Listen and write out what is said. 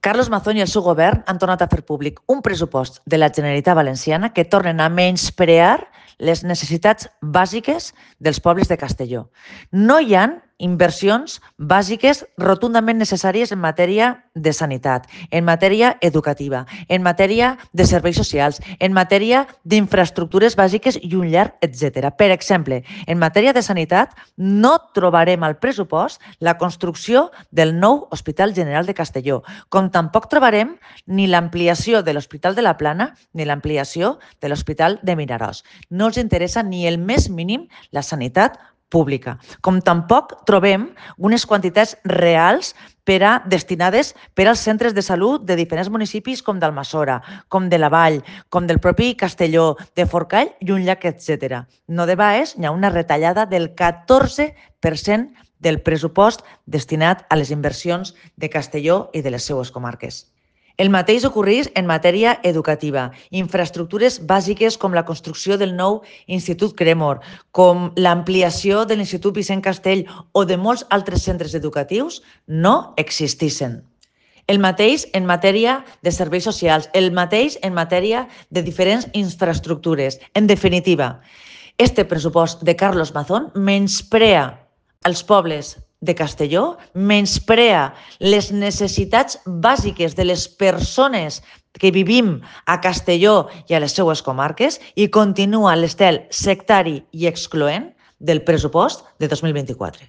Carlos Mazón i el seu govern han tornat a fer públic un pressupost de la Generalitat Valenciana que tornen a menysprear les necessitats bàsiques dels pobles de Castelló. No hi ha inversions bàsiques rotundament necessàries en matèria de sanitat, en matèria educativa, en matèria de serveis socials, en matèria d'infraestructures bàsiques i un llarg etcètera. Per exemple, en matèria de sanitat no trobarem al pressupost la construcció del nou Hospital General de Castelló, com tampoc trobarem ni l'ampliació de l'Hospital de la Plana ni l'ampliació de l'Hospital de Vinaròs. No els interessa ni el més mínim la sanitat pública. Com tampoc trobem unes quantitats reals destinades per als centres de salut de diferents municipis com d'Almassora, com de la Vall, com del propi Castelló, de Forcall i un llac, etc. No de baix, hi ha una retallada del 14% del pressupost destinat a les inversions de Castelló i de les seues comarques. El mateix ocorreix en matèria educativa. Infraestructures bàsiques com la construcció del nou Institut Cremor, com l'ampliació de l'Institut Vicent Castell o de molts altres centres educatius no existissin. El mateix en matèria de serveis socials, el mateix en matèria de diferents infraestructures. En definitiva, este pressupost de Carlos Mazón menysprea els pobles de Castelló, menysprea les necessitats bàsiques de les persones que vivim a Castelló i a les seues comarques i continua l'estel sectari i excloent del pressupost de 2024.